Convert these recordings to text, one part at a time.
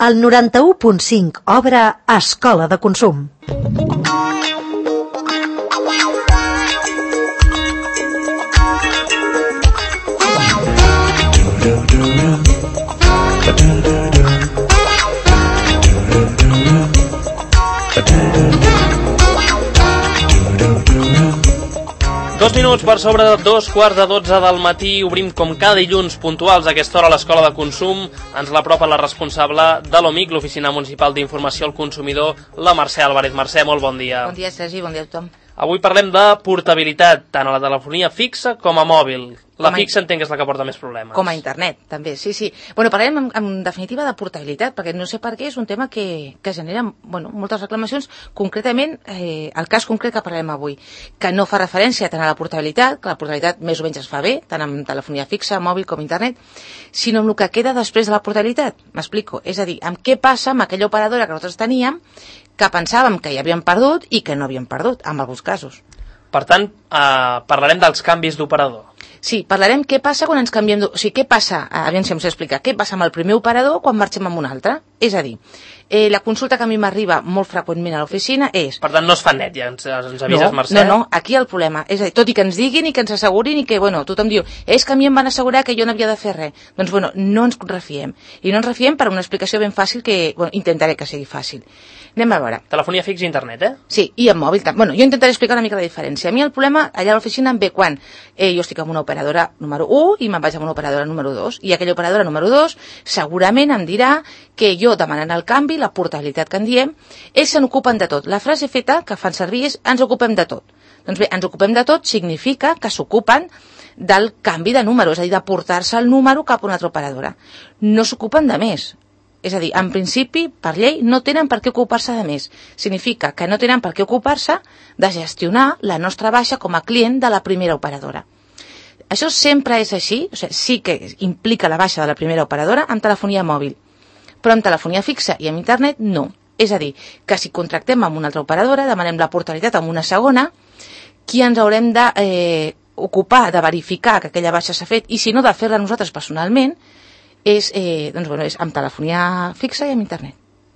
El 91.5 obre Escola de Consum. Dos minuts per sobre de 2:15 del matí, obrim com cada dilluns puntuals a aquesta hora a l'Escola de Consum. Ens l'apropa la responsable de l'OMIC, l'Oficina Municipal d'Informació al Consumidor, la Mercè Álvarez. Mercè, molt bon dia. Bon dia, Sergi, bon dia a tothom. Avui parlem de portabilitat, tant a la telefonia fixa com a mòbil. La fixa entenc que és la que porta més problemes. Com a internet, també, sí. Bueno, parlarem en definitiva de portabilitat, perquè no sé per què és un tema que genera moltes reclamacions, concretament el cas concret que parlarem avui, que no fa referència tant a la portabilitat, que la portabilitat més o menys es fa bé, tant amb telefonia fixa, mòbil com internet, sinó amb el que queda després de la portabilitat. M'explico, és a dir, amb què passa amb aquella operadora que nosaltres teníem, que pensàvem que ja havíem perdut i que no havíem perdut, en alguns casos. Per tant, parlarem dels canvis d'operador. Sí, parlarem què passa quan ens canviem... O sigui, què passa, aviam si em sé explicar, què passa amb el primer operador quan marxem amb un altre? És a dir, la consulta que a mi m'arriba molt freqüentment a l'oficina és... Per tant, no es fa net, ja ens avises, Mercè? No, aquí el problema. És a dir, tot i que ens diguin i que ens assegurin i que, tothom diu, és que a mi em van assegurar que jo no havia de fer res. Doncs, no ens refiem. I no ens refiem per una explicació ben fàcil que, intentaré que sigui fàcil. Anem a veure. Telefonia fixa i internet, eh? Sí, i amb mòbil també. Jo intentaré explicar una mica la diferència. A mi el problema allà a l'oficina em ve quan jo estic amb una operadora número 1 i me'n vaig amb una operadora número 2. I aquella operadora número 2 segurament em dirà que jo demanant el canvi, la portabilitat que en diem, ells se n'ocupen de tot. La frase feta que fan servir és ens ocupem de tot. Doncs bé, ens ocupem de tot significa que s'ocupen del canvi de número, és a dir, de portar-se el número cap a una altra operadora. No s'ocupen de més. És a dir, en principi, per llei, no tenen per què ocupar-se de més. Significa que no tenen per què ocupar-se de gestionar la nostra baixa com a client de la primera operadora. Això sempre és així, sí que implica la baixa de la primera operadora amb telefonia mòbil, però amb telefonia fixa i amb internet no. És a dir, que si contractem amb una altra operadora, demanem la portabilitat amb una segona, qui ens haurem d'ocupar de verificar que aquella baixa s'ha fet i si no de fer-la nosaltres personalment, és amb telefonia fixa i amb internet.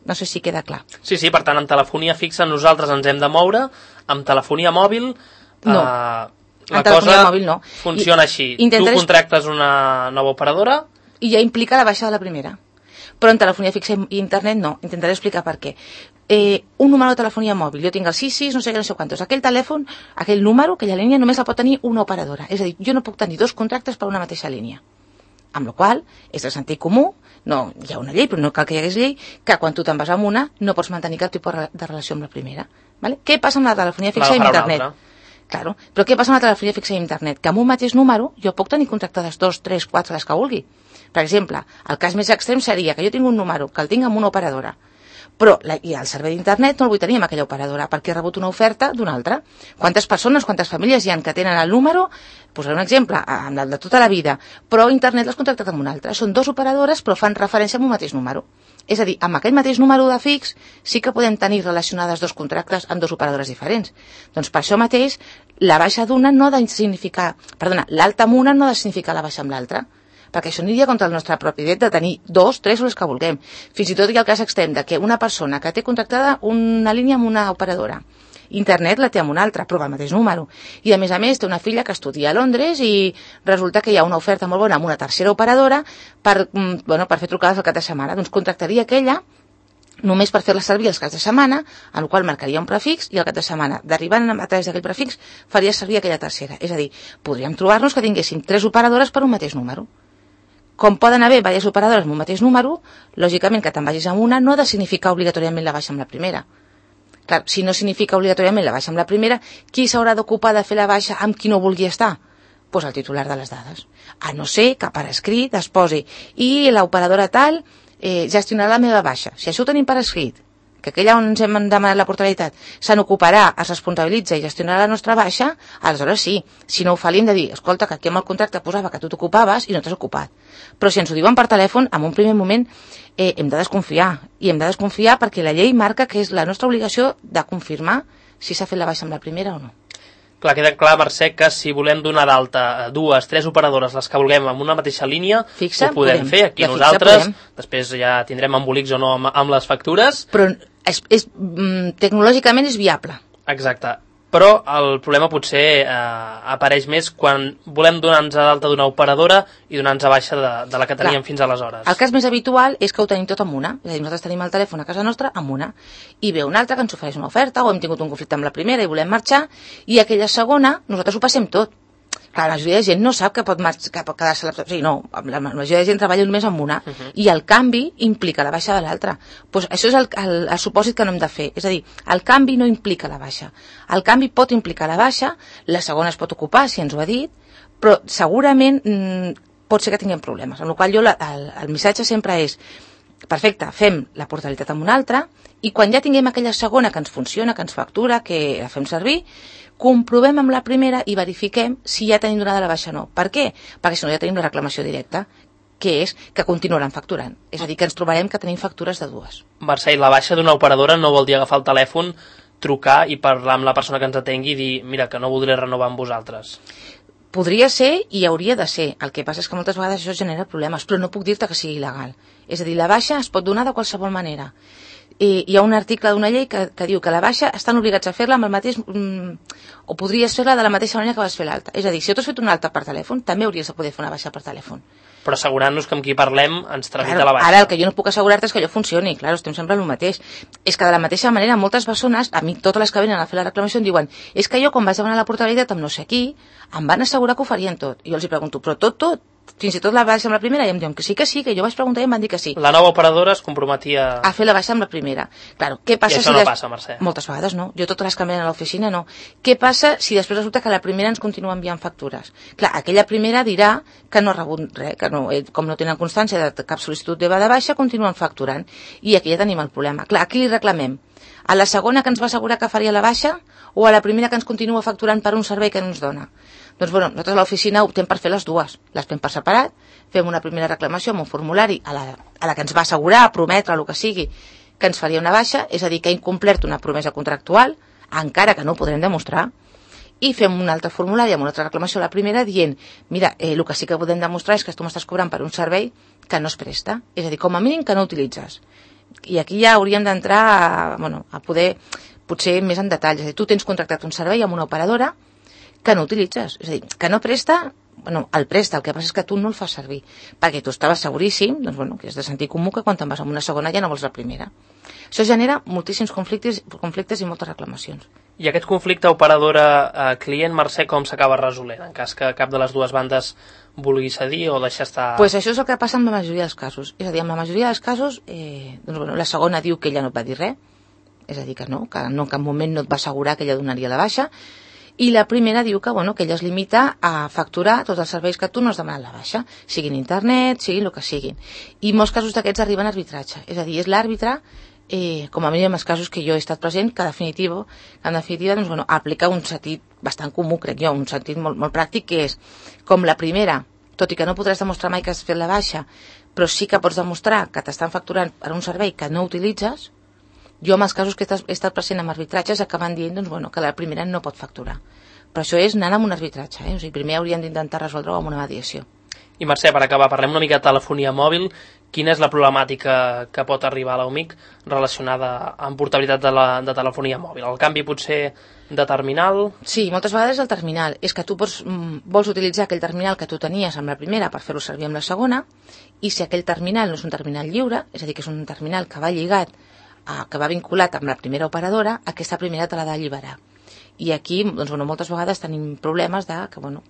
No sé si queda clar. Sí, per tant, amb telefonia fixa nosaltres ens hem de moure, amb telefonia mòbil no. La cosa mòbil no. Funciona així. Tu contractes una nova operadora i ja implica la baixa de la primera. Però en telefonia fixa i internet no. Intentaré explicar per què. Un número de telefonia mòbil, jo tinc el 66, no sé què, no sé quantos. Aquell telèfon, aquell número, aquella línia, només la pot tenir una operadora. És a dir, jo no puc tenir dos contractes per una mateixa línia. Amb la qual és de sentit comú, no hi ha una llei, però no cal que hi hagués llei, que quan tu te'n vas amb una no pots mantenir cap tipus de relació amb la primera. Vale? Què passa amb la telefonia fixa i internet? Claro, però què passa amb la telefonia fixa i internet? Que amb un mateix número jo puc tenir contractades 2, 3, 4, les que vulgui. Per exemple, el cas més extrem seria que jo tinc un número, que el tinc amb una operadora, però i el servei d'internet no el vull tenir amb aquella operadora perquè he rebut una oferta d'una altra. Quantes persones, quantes famílies hi ha que tenen el número, posaré un exemple, amb el de tota la vida, però internet l'has contractat amb una altra. Són dues operadores però fan referència a un mateix número. És a dir, amb aquell mateix número de fix sí que podem tenir relacionades dos contractes amb dues operadores diferents. Doncs per això mateix la baixa d'una no ha de significar, l'alta amb una no ha de significar la baixa amb l'altra, perquè això aniria contra el nostre propi dret de tenir dos, tres o les que vulguem. Fins i tot hi ha el cas extrem de que una persona que té contractada una línia amb una operadora, internet la té amb una altra, però amb el mateix número. I a més té una filla que estudia a Londres i resulta que hi ha una oferta molt bona amb una tercera operadora per fer trucades al cap de setmana. Doncs contractaria aquella només per fer-la servir els caps de setmana, en el qual marcaria un prefix i al cap de setmana, derivant a través d'aquell prefix, faria servir aquella tercera. És a dir, podríem trobar-nos que tinguéssim 3 operadores per un mateix número. Com poden haver diverses operadores amb un mateix número, lògicament que te'n vagis amb una no ha de significar obligatòriament la baixa amb la primera. Clar, si no significa obligatòriament la baixa amb la primera, qui s'haurà d'ocupar de fer la baixa amb qui no vulgui estar? Doncs el titular de les dades. A no ser que per escrit es posi i l'operadora tal gestionarà la meva baixa. Si això ho tenim per escrit, que aquella on ens hem demanat la portabilitat se n'ocuparà, es responsabilitza i gestionarà la nostra baixa, aleshores sí. Si no ho fa, li hem de dir, escolta, que aquí amb el contracte posava que tu t'ocupaves i no t'has ocupat. Però si ens ho diuen per telèfon, en un primer moment hem de desconfiar. I hem de desconfiar perquè la llei marca que és la nostra obligació de confirmar si s'ha fet la baixa amb la primera o no. Clar, queda clar, Mercè, que si volem donar d'alta 2, 3 operadores, les que vulguem, amb una mateixa línia, ho podem fer. Aquí nosaltres, després ja tindrem embolics o no amb les factures. Però tecnològicament és viable. Exacte. Però el problema potser apareix més quan volem donar-nos d'alta d'una operadora i donar-nos a baixa de la que teníem fins aleshores. El cas més habitual és que ho tenim tot amb una. És a dir, nosaltres tenim el telèfon a casa nostra amb una. I ve una altra que ens ofereix una oferta o hem tingut un conflicte amb la primera i volem marxar i aquella segona nosaltres ho passem tot. Clar, la majoria de gent no sap que pot quedar-se... O sigui, no, la majoria de gent treballa només amb una i el canvi implica la baixa de l'altra. Pues això és el supòsit que no hem de fer. És a dir, el canvi no implica la baixa. El canvi pot implicar la baixa, la segona es pot ocupar, si ens ho ha dit, però segurament pot ser que tinguem problemes. Amb la qual cosa el missatge sempre és perfecte, fem la portabilitat amb una altra i quan ja tinguem aquella segona que ens funciona, que ens factura, que la fem servir, comprovem amb la primera i verifiquem si ja tenim donada la baixa o no. Per què? Perquè si no ja tenim la reclamació directa, que és que continuaran facturant. És a dir, que ens trobarem que tenim factures de dues. Mercè, la baixa d'una operadora no vol dir agafar el telèfon, trucar i parlar amb la persona que ens atengui i dir, mira, que no voldré renovar amb vosaltres. Podria ser i hauria de ser. El que passa és que moltes vegades això genera problemes, però no puc dir-te que sigui il·legal. És a dir, la baixa es pot donar de qualsevol manera. Hi ha un article d'una llei que diu que la baixa estan obligats a fer-la amb el mateix... o podries fer-la de la mateixa manera que vas fer l'alta. És a dir, si tu has fet una alta per telèfon, també hauries de poder fer una baixa per telèfon. Però assegurant-nos que amb qui parlem ens tramita la baixa. Ara el que jo no puc assegurar-te és que allò funcioni, clar, estem sempre el mateix. És que de la mateixa manera moltes persones, a mi totes les que venen a fer la reclamació em diuen és que jo quan vaig demanar la portabilitat amb no sé qui, em van assegurar que ho farien tot. I jo els hi pregunto, però tot, fins i tot la baixa amb la primera, i em diuen que sí, que jo vaig preguntar i em van dir que sí. La nova operadora es comprometia a fer la baixa amb la primera. Claro, què passa I això no passa, Mercè. Moltes vegades no. Jo totes les que em venen a l'oficina no. Què passa si després resulta que la primera ens continua enviant factures? Clar, aquella primera dirà que no ha rebut res, que no, com no tenen constància de cap sol·licitud de baixa, continuen facturant. I aquí ja tenim el problema. Clar, aquí li reclamem a la segona que ens va assegurar que faria la baixa o a la primera que ens continua facturant per un servei que no ens dona? Doncs bueno, nosaltres a l'oficina optem per fer les dues. Les fem per separat, fem una primera reclamació amb un formulari a la que ens va assegurar, prometre, el que sigui, que ens faria una baixa, és a dir, que ha incomplert una promesa contractual, encara que no ho podrem demostrar, i fem un altre formulari amb una altra reclamació a la primera dient, mira, el que sí que podem demostrar és que tu m'estàs cobrant per un servei que no es presta, és a dir, com a mínim que no utilitzes. I aquí ja hauríem d'entrar a poder, potser més en detall, és a dir, tu tens contractat un servei amb una operadora que no utilitzes, és a dir, que no presta, el presta, el que passa és que tu no el fas servir, perquè tu estaves seguríssim, doncs que és de sentir comú que quan te'n vas amb una segona ja no vols la primera. Això genera moltíssims conflictes i moltes reclamacions. I aquest conflicte operadora-client, Mercè, com s'acaba resolent, en cas que cap de les dues bandes vulgui cedir o deixar estar... Pues això és el que passa amb la majoria dels casos. És a dir, amb la majoria dels casos, la segona diu que ella no et va dir res, és a dir, que no en cap moment no et va assegurar que ella donaria la baixa, i la primera diu que ella es limita a facturar tots els serveis que tu no has demanat la baixa, siguin internet, siguin el que siguin. I molts casos d'aquests arriben a arbitratge. És a dir, és l'àrbitre, com a mínim els casos que jo he estat present, que en definitiva aplica un sentit bastant comú, crec jo, un sentit molt, molt pràctic, que és com la primera, tot i que no podràs demostrar mai que has fet la baixa, però sí que pots demostrar que t'estan facturant per un servei que no utilitzes. Jo, en els casos que he estat present amb arbitratges, acaben dient que la primera no pot facturar. Però això és anant amb un arbitratge. O sigui, primer hauríem d'intentar resoldre-ho amb una mediació. I Mercè, per acabar, parlem una mica de telefonia mòbil. Quina és la problemàtica que pot arribar a l'UMIC relacionada amb portabilitat de telefonia mòbil? El canvi potser de terminal? Sí, moltes vegades el terminal. És que tu vols utilitzar aquell terminal que tu tenies amb la primera per fer-ho servir amb la segona, i si aquell terminal no és un terminal lliure, és a dir, que és un terminal que va lligat, que va vinculat amb la primera operadora, aquesta primera te l'ha d'alliberar. I aquí, moltes vegades tenim problemes de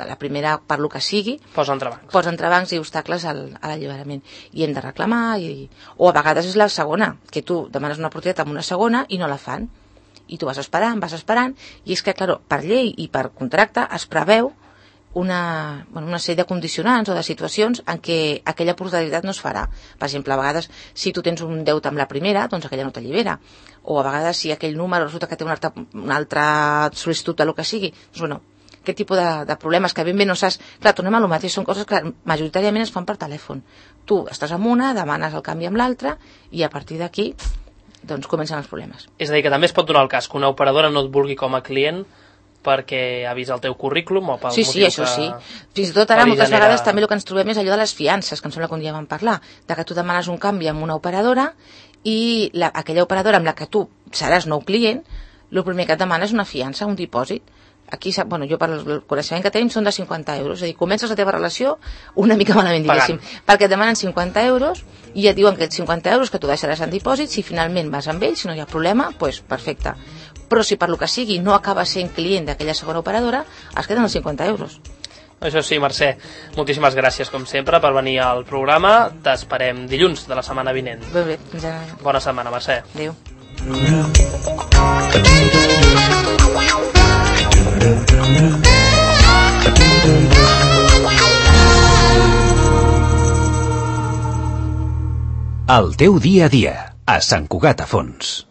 la primera, per lo que sigui, posa entrebancs. Posa entrebancs i obstacles a l'alliberament. I hem de reclamar, o a vegades és la segona, que tu demanes una oportunitat amb una segona i no la fan. I tu vas esperant, i és que, clar, per llei i per contracte es preveu una sèrie de condicionants o de situacions en què aquella portabilitat no es farà. Per exemple, a vegades, si tu tens un deute amb la primera, doncs aquella no t'allibera. O a vegades, si aquell número resulta que té una altra sol·licitud de lo que sigui, doncs, aquest tipus de problemes que ben bé no saps... Clar, tornem a lo mateix, són coses que majoritàriament es fan per telèfon. Tu estàs amb una, demanes el canvi amb l'altra, i a partir d'aquí, doncs, comencen els problemes. És a dir, que també es pot donar el cas que una operadora no et vulgui com a client perquè ha vist el teu currículum o pel Sí, motiu això que... sí. Fins i tot ara li moltes genera- vegades també el que ens trobem és allò de les fiances, que em sembla que un dia vam parlar, de que tu demanes un canvi amb una operadora i aquella operadora amb la que tu seràs nou client, el primer que et demana és una fiança, un dipòsit. Aquí, bueno, jo per el coneixement que tenim són de 50 euros, és a dir, comences la teva relació una mica malament, diguéssim, perquè et demanen 50 euros i et diuen que els 50 euros que tu deixaràs en dipòsit, si finalment vas amb ells, si no hi ha problema, doncs perfecte. Però si per lo que sigui no acaba sent client d'aquella segona operadora, es queden els 50 euros. Això sí, Mercè, moltíssimes gràcies com sempre per venir al programa. T'esperem dilluns de la setmana vinent. Bé, fins ara. Bona setmana, Mercè. Adéu. El teu dia a dia, a Sant Cugat a Fons.